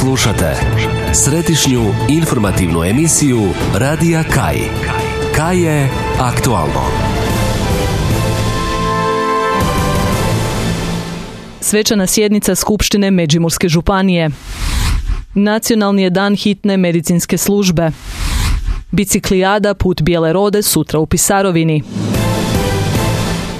Slušate središnju informativnu emisiju Radija Kaj. Kaj je aktualno. Svečana sjednica Skupštine Međimurske županije. Nacionalni je dan hitne medicinske službe. Biciklijada Put bijele rode sutra u Pisarovini.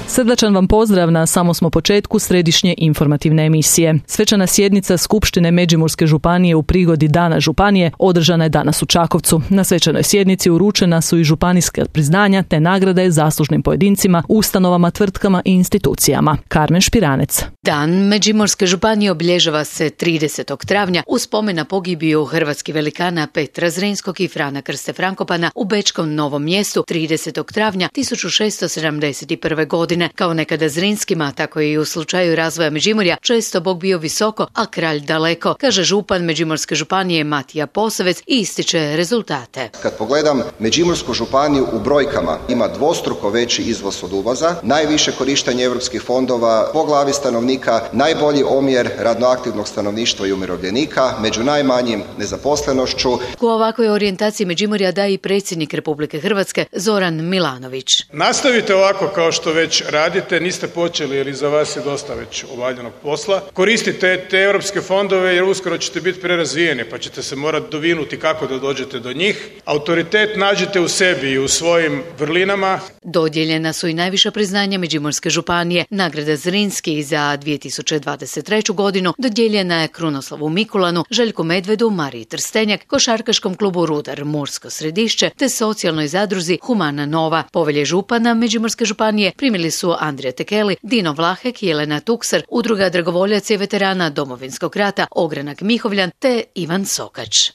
Srdačan vam pozdrav na samom smo početku središnje informativne emisije. Svečana sjednica Skupštine Međimurske županije u prigodi Dana županije održana je danas u Čakovcu. Na svečanoj sjednici uručena su i županijska priznanja te nagrade zaslužnim pojedincima, ustanovama, tvrtkama i institucijama. Karmen Špiranec. Dan Međimurske županije obilježava se 30. travnja u spomen na pogibiju hrvatskih velikana Petra Zrinskog i Frana Krste Frankopana u Bečkom Novom Mjestu 30. travnja 1671. godine. Kao nekada Zrinskima, tako i u slučaju razvoja Međimurja, često Bog bio visoko, a kralj daleko, kaže župan Međimurske županije Matija Posavec i ističe rezultate. Kad pogledam Međimursku županiju u brojkama, ima dvostruko veći izvoz od uvoza, najviše korištenje europskih fondova po glavi stanovnika, najbolji omjer radnoaktivnog stanovništva i umirovljenika, među najmanjim nezaposlenošću. U ovakvoj orijentaciji Međimurja daje i predsjednik Republike Hrvatske Zoran Milanović. Nastavite ovako kao što već radite, niste počeli jer iza vas je dosta već obavljenog posla. Koristite te europske fondove jer uskoro ćete biti prerazvijeni pa ćete se morati dovinuti kako da dođete do njih. Autoritet nađete u sebi i u svojim vrlinama. Dodijeljena su i najviša priznanja Međimurske županije. Nagrada Zrinski za 2023. godinu dodijeljena je Krunoslavu Mikulanu, Željku Medvedu, Mariji Trstenjak, košarkaškom klubu Rudar Mursko Središće te socijalnoj zadruzi Humana Nova. Povelje župana Međimurske županije primili su Andrija Tekeli, Dino Vlahek, Jelena Tuksar, Udruga dragovoljaca i veterana Domovinskog rata, Ogranak Mihovljan te Ivan Sokač.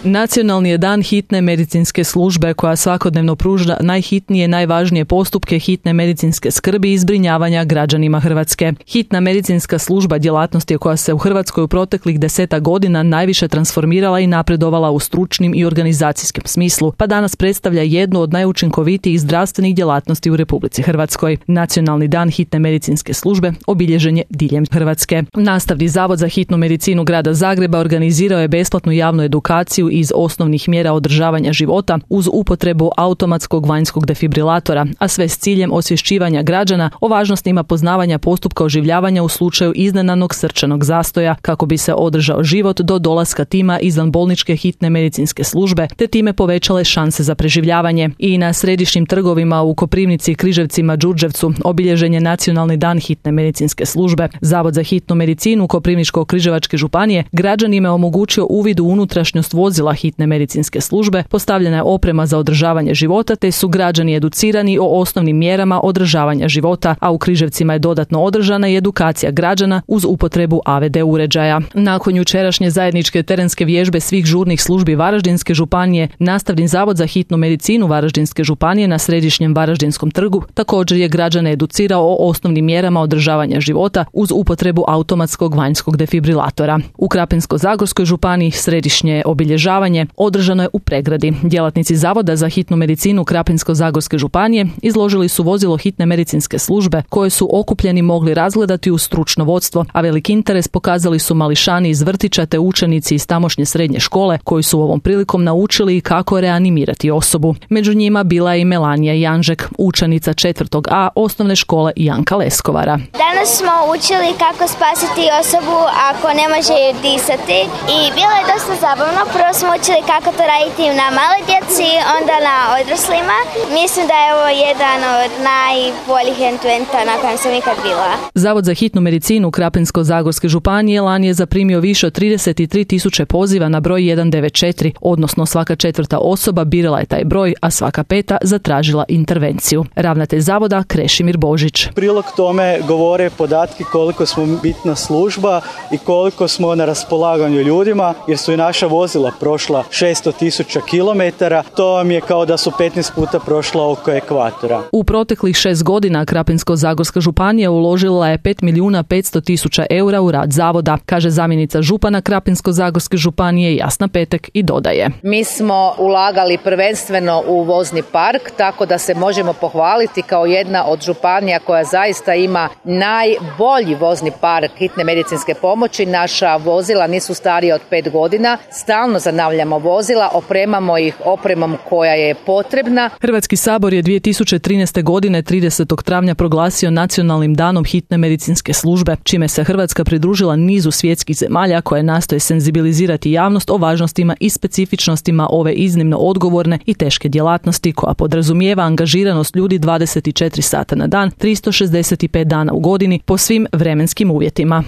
Nacionalni je dan hitne medicinske službe koja svakodnevno pruža najhitnije, najvažnije postupke hitne medicinske skrbi i zbrinjavanja građanima Hrvatske. Hitna medicinska služba djelatnost je koja se u Hrvatskoj u proteklih 10 godina najviše transformirala i napredovala u stručnim i organizacijskom smislu, pa danas predstavlja jednu od najučinkovitijih zdravstvenih djelatnosti u Republici Hrvatskoj. Nacionalni dan hitne medicinske službe obilježen je diljem Hrvatske. Nastavni zavod za hitnu medicinu grada Zagreba organizirao je besplatnu javnu edukaciju iz osnovnih mjera održavanja života uz upotrebu automatskog vanjskog defibrilatora, a sve s ciljem osvješćivanja građana o važnostima poznavanja postupka oživljavanja u slučaju iznenadnog srčanog zastoja kako bi se održao život do dolaska tima izvanbolničke hitne medicinske službe te time povećale šanse za preživljavanje. I na središnjim trgovima u Koprivnici, Križevcima, Đurđevcu obilježen je Nacionalni dan hitne medicinske službe. Zavod za hitnu medicinu Koprivničko-križevačke županije građanima je omogućio uvid u unutrašnjost vozila hitne medicinske službe, postavljena je oprema za održavanje života te su građani educirani o osnovnim mjerama održavanja života, a u Križevcima je dodatno održana i edukacija građana uz upotrebu AVD uređaja. Nakon jučerašnje zajedničke terenske vježbe svih žurnih službi Varaždinske županije, Nastavni zavod za hitnu medicinu Varaždinske županije na središnjem Varaždinskom trgu također je građane educirao o osnovnim mjerama održavanja života uz upotrebu automatskog vanjskog defibrilatora. U Krapinsko-zagorskoj županiji središnje obilježavanje održano je u Pregradi. Djelatnici Zavoda za hitnu medicinu Krapinsko-zagorske županije izložili su vozilo hitne medicinske službe koje su okupljeni mogli razgledati uz stručno vodstvo, a veliki interes pokazali su mališani iz vrtića te učenici iz tamošnje srednje škole koji su ovom prilikom naučili kako reanimirati osobu. Među njima bila je i Melanija Janžek, učenica 4. A osnovne škole Janka Leskovara. Danas smo učili kako spasiti osobu ako ne može disati i bilo je dosta zabavno. Prvo smo učili kako to raditi na male djeci, onda na odraslima. Mislim da je ovo jedan od najboljih eventa na kojem sam ikad bila. Zavod za hitnu medicinu Krapinsko-zagorske županije lani je zaprimio više od 33.000 poziva na broj 194, odnosno svaka 4. osoba birala je taj broj, a svaka 5. zatražila intervenciju. Ravnatelj zavoda Krešimir Božić. Prilog tome govore podatki koliko smo bitna služba i koliko smo na raspolaganju ljudima, jer su i naša vozila prošla 600.000 km kilometara, to vam je kao da su 15 puta prošla oko ekvatora. U proteklih 6 godina Krapinsko-zagorska županija uložila je 5.500.000 eura u rad zavoda, kaže zamjenica župana Krapinsko-zagorske županije Jasna Petek i dodaje. Mi smo ulagali prvenstveno u vozni park, tako da se možemo pohvaliti kao jedna od županija koja zaista ima najbolji vozni park hitne medicinske pomoći. Naša vozila nisu starija od 5 godina, stalno zanavljamo vozila, opremamo ih opremom koja je potrebna. Hrvatski sabor je 2013. godine 30. travnja proglasio Nacionalnim danom hitne medicinske službe, čime se Hrvatska pridružila nizu svjetskih zemalja koje nastoje senzibilizirati javnost o važnostima i specifičnostima ove iznimno odgovorne i teške djelatnosti koja podrazumijeva angažiranost ljudi 24 sata na dan, 365 dana u godini po svim vremenskim uvjetima.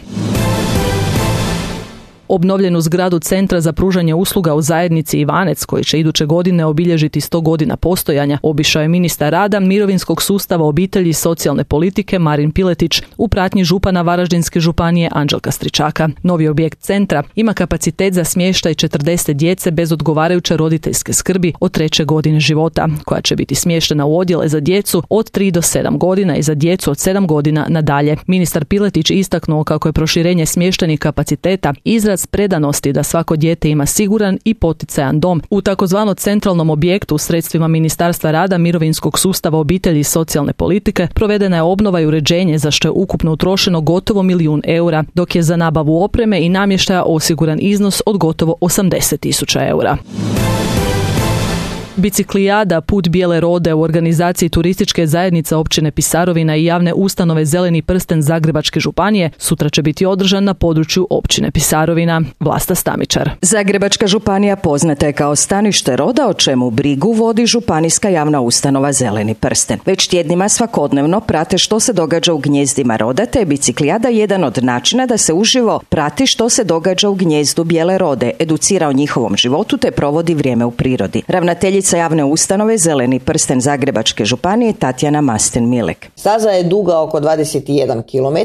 Obnovljenu zgradu Centra za pružanje usluga u zajednici Ivanec, koji će iduće godine obilježiti 100 godina postojanja, obišao je ministar rada, mirovinskog sustava, obitelji i socijalne politike Marin Piletić u pratnji župana Varaždinske županije Anđelka Stričaka. Novi objekt centra ima kapacitet za smještaj 40 djece bez odgovarajuće roditeljske skrbi od 3. godine života, koja će biti smještena u odjele za djecu od 3 do 7 godina i za djecu od 7 godina nadalje. Ministar Piletić istaknuo kako je proširenje smještajnih kapaciteta izraz predanosti da svako dijete ima siguran i poticajan dom. U takozvanom centralnom objektu sredstvima Ministarstva rada, mirovinskog sustava, obitelji i socijalne politike provedena je obnova i uređenje za što je ukupno utrošeno gotovo 1 milijun eura, dok je za nabavu opreme i namještaja osiguran iznos od gotovo 80.000 eura. Biciklijada Put bijele rode u organizaciji turističke zajednice općine Pisarovina i javne ustanove Zeleni prsten Zagrebačke županije sutra će biti održan na području općine Pisarovina. Vlasta Stamičar. Zagrebačka županija poznata je kao stanište roda, o čemu brigu vodi županijska javna ustanova Zeleni prsten. Već tjednima svakodnevno prate što se događa u gnjezdima roda, te je biciklijada jedan od načina da se uživo prati što se događa u gnjezdu bijele rode, educira o njihovom životu te provodi vrijeme u prirodi. Ravnateljica javne ustanove Zeleni prsten Zagrebačke županije Tatjana Masten-Milek. Staza je duga oko 21 km,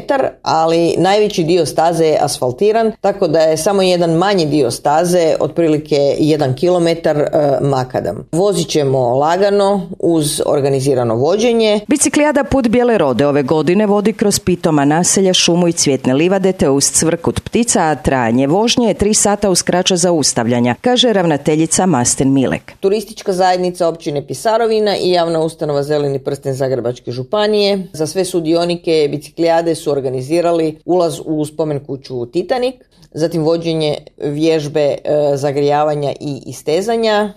ali najveći dio staze je asfaltiran, tako da je samo jedan manji dio staze, otprilike 1 km, makadam. Vozit ćemo lagano uz organizirano vođenje. Biciklijada Put bijele rode ove godine vodi kroz pitoma naselja, šumu i cvjetne livade te uz cvrkut ptica, a trajanje vožnje je 3 sata uz kraća zaustavljanja, kaže ravnateljica Masten-Milek. Turistička zajednica općine Pisarovina i javna ustanova Zeleni prsten Zagrebačke županije za sve sudionike biciklijade su organizirali ulaz u spomen kuću Titanik, zatim vođenje vježbe zagrijavanja i istezanja,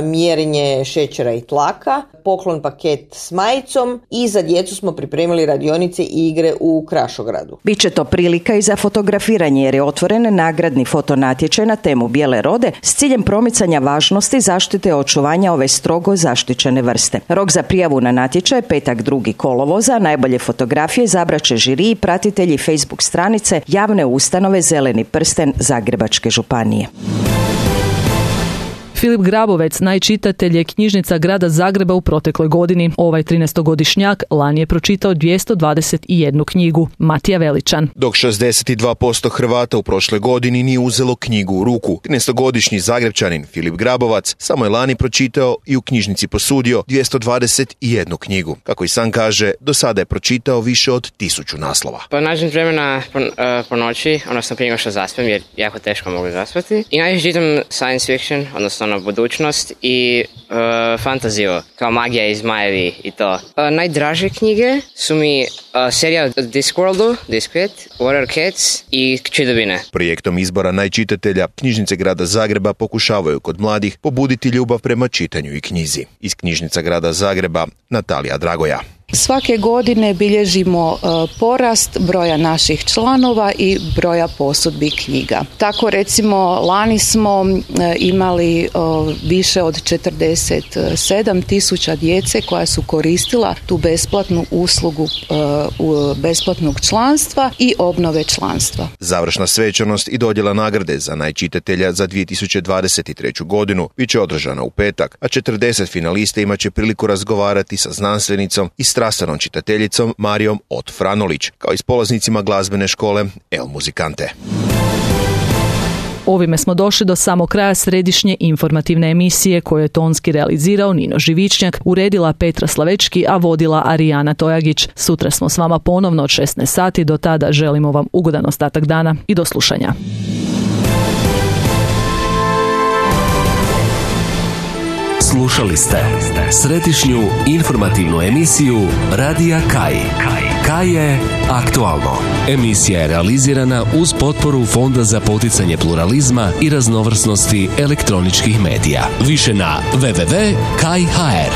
mjerenje šećera i tlaka, poklon paket s majicom i za djecu smo pripremili radionice i igre u Krašogradu. Biće to prilika i za fotografiranje jer je otvoren nagradni fotonatječaj na temu bijele rode s ciljem promicanja važnosti zaštite i očuvanja ove strogo zaštićene vrste. Rok za prijavu na natječaj je petak 2. kolovoza, najbolje fotografije izabrat će žiri i pratitelji Facebook stranice javne ustanove Zeleni prsten Zagrebačke županije. Filip Grabovec, najčitatelj je knjižnica grada Zagreba u protekloj godini. Ovaj 13-godišnjak lani je pročitao 221 knjigu. Matija Veličan. Dok 62% Hrvata u prošloj godini nije uzelo knjigu u ruku. 13-godišnji Zagrepčanin Filip Grabovac samo je lani pročitao i u knjižnici posudio 221 knjigu. Kako i sam kaže, do sada je pročitao više od 1000 naslova. Pa nađem vremena po noći, odnosno prije nego što zaspem, jer jako teško mogu zaspati. I najviše čitam science fiction, odnosno budućnost i fantaziju, kao magija i zmajevi i to. Najdraže knjige su mi serija Discworldu, Discworld, Warrior Cats i Čidobine. Projektom izbora najčitatelja knjižnice grada Zagreba pokušavaju kod mladih pobuditi ljubav prema čitanju i knjizi. Iz knjižnica grada Zagreba Natalija Dragoja. Svake godine bilježimo porast broja naših članova i broja posudbi knjiga. Tako recimo lani smo imali više od 47.000 djece koja su koristila tu besplatnu uslugu besplatnog članstva i obnove članstva. Završna svečanost i dodjela nagrade za najčitatelja za 2023. godinu bit će održana u petak, a 40 finalista imat će priliku razgovarati sa znanstvenicom i strastvenom čitateljicom Marijom Ot Franolić, kao i s polaznicima glazbene škole El Muzikante. Ovime smo došli do samog kraja središnje informativne emisije koju je tonski realizirao Nino Živičnjak, uredila Petra Slavečki, a vodila Arijana Tojagić. Sutra smo s vama ponovno od 16 sati. Do tada želimo vam ugodan ostatak dana i do slušanja. Slušali ste središnju informativnu emisiju Radija Kaj. Kaj je aktualno. Emisija je realizirana uz potporu Fonda za poticanje pluralizma i raznovrsnosti elektroničkih medija. Više na www.kaj.hr.